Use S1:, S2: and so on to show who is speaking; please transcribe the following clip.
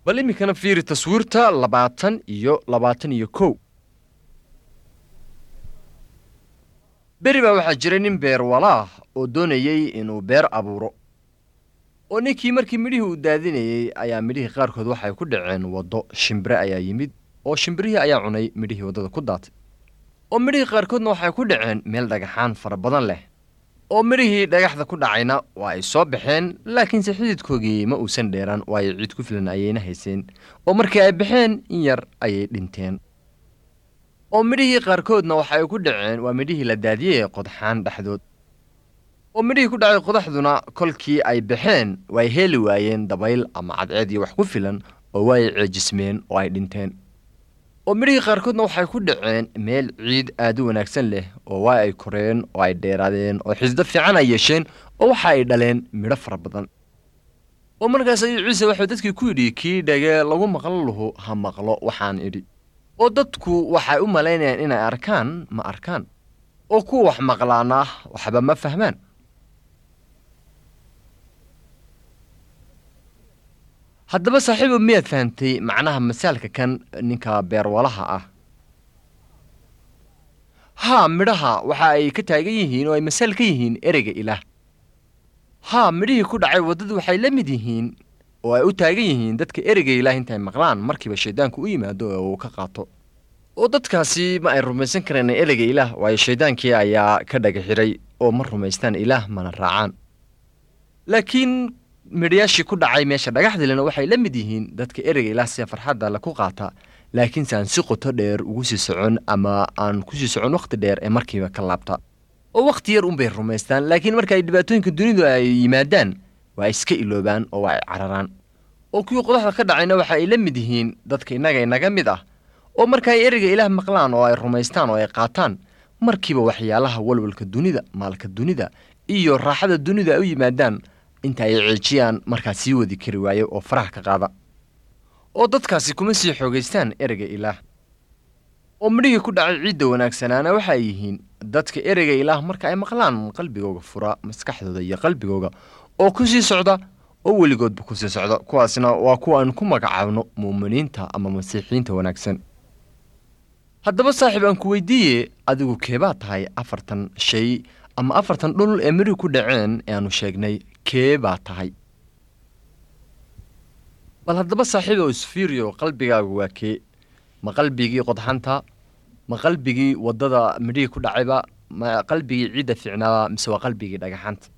S1: Bal iminkana fiiri taswiirta 20 iyo 21. Beri baa waxaa jiray nin beerwalaah oo doonayey inuu beer abuuro. Oo ninkii markii midhihii uu daadinayey ayaa midhihii qaarkood waxay ku dhaceen waddo, shimbire ayaa yimid oo shimbirihii ayaa cunay midhihii waddada ku daatay. Oo midhihii qaarkoodna waxay ku dhaceen meel dhagaxaan fara badan leh. Oo midhihii dhagaxda ku dhacayna waa ay soo baxeen, laakiinse xididkoogii ma uusan dheeraan, waayo ciid ku filan ayayna hayseen. Oo markii ay baxeen in yar ayay dhinteen. Oo midhihii qaarkoodna waxay ku dhaceen waa midhihii la daadiyey qodxaan dhexdood. Oo midhihii ku dhacay qodaxduna kolkii ay baxeen way heli waayeen dabayl ama cadceed iyo wax ku filan, oo way ceejismeen oo ay dhinteen. Oo midhihii qaarkoodna waxay ku dhaceen meel ciid aad u wanaagsan leh, oo waa ay koreen oo ay dheeraadeen oo xisdo fiican ay yeesheen, oo waxa ay dhaleen midho fara badan. Oo markaas ayuu Ciise wuxuu dadkii ku yidhi, kii dhage lagu maqlo luhu ha maqlo waxaan idhi. Oo dadku waxay u malaynayaan inay arkaan, ma arkaan. Oo kuwa wax maqlaana waxba ma fahmaan. Haddaba saaxiibo, miyaad fahantay macnaha masaalka kan ninka beerwalaha ah? Haa, midhaha waxa ay ka taagan yihiin oo ay masaal ka yihiin ereyga Ilaah. Haa, midhihii ku dhacay waddadu waxay la mid yihiin oo ay u taagan yihiin dadka ereyga Ilaah intay maqlaan markiiba shayddaanku u yimaado oo uu ka qaato. Oo dadkaasi ma ay rumaysan kareen ereyga Ilaah, waayo shayddaankii ayaa ka dhaga xiray oo ma rumaystaan Ilaah mana raacaan. Laakiin midhayaashii ku dhacay meesha dhagaxdilena waxay la mid yihiin dadka ereyga Ilaah sida farxadda la ku qaata, laakiinse aan si qoto dheer ugu sii socon ama aan ku sii socon wakhti dheer ee markiiba ka laabta. Oo wakhti yar unbay rumaystaan, laakiin marka ay dhibaatooyinka dunidu ay yimaadaan waa iska iloobaan oo waa ay cararaan. Oo kuwii qodaxda ka dhacayna waxa ay la mid yihiin dadka innaga inaga mid ah, oo marka ay ereyga Ilaah maqlaan oo ay rumaystaan oo ay qaataan, markiiba waxyaalaha walwalka dunida, maalka dunida iyo raaxada dunida ay u yimaadaan inta ay ceejiyaan markaa sii wadi kari waayo oo faraha ka qaada. Oo dadkaasi kuma sii xoogaystaan ereyga Ilaah. Oo midhihii ku dhacay ciidda wanaagsanaana waxa ay yihiin dadka ereyga Ilaah marka ay maqlaan qalbigooga fura, maskaxdooda iyo qalbigooga, oo ku sii socda oo weligoodba ku sii socda. Kuwaasna waa kuwa aan ku magacaabno muuminiinta ama masiixiyiinta wanaagsan. Haddaba saaxiib, aan ku weydiiye, adigu keebaa tahay 40 shay ama 40 dhul ee midhihii ku dhaceen ee aanu sheegnay, kee baa tahay? Bal haddaba saaxiibow isfiiriyo, qalbigaagu waa kee? Ma qalbigii qodxanta? Ma qalbigii waddada midhihii ku dhacayba? Ma qalbigii ciidda fiicnaaba? Mise waa qalbigii dhagaxanta?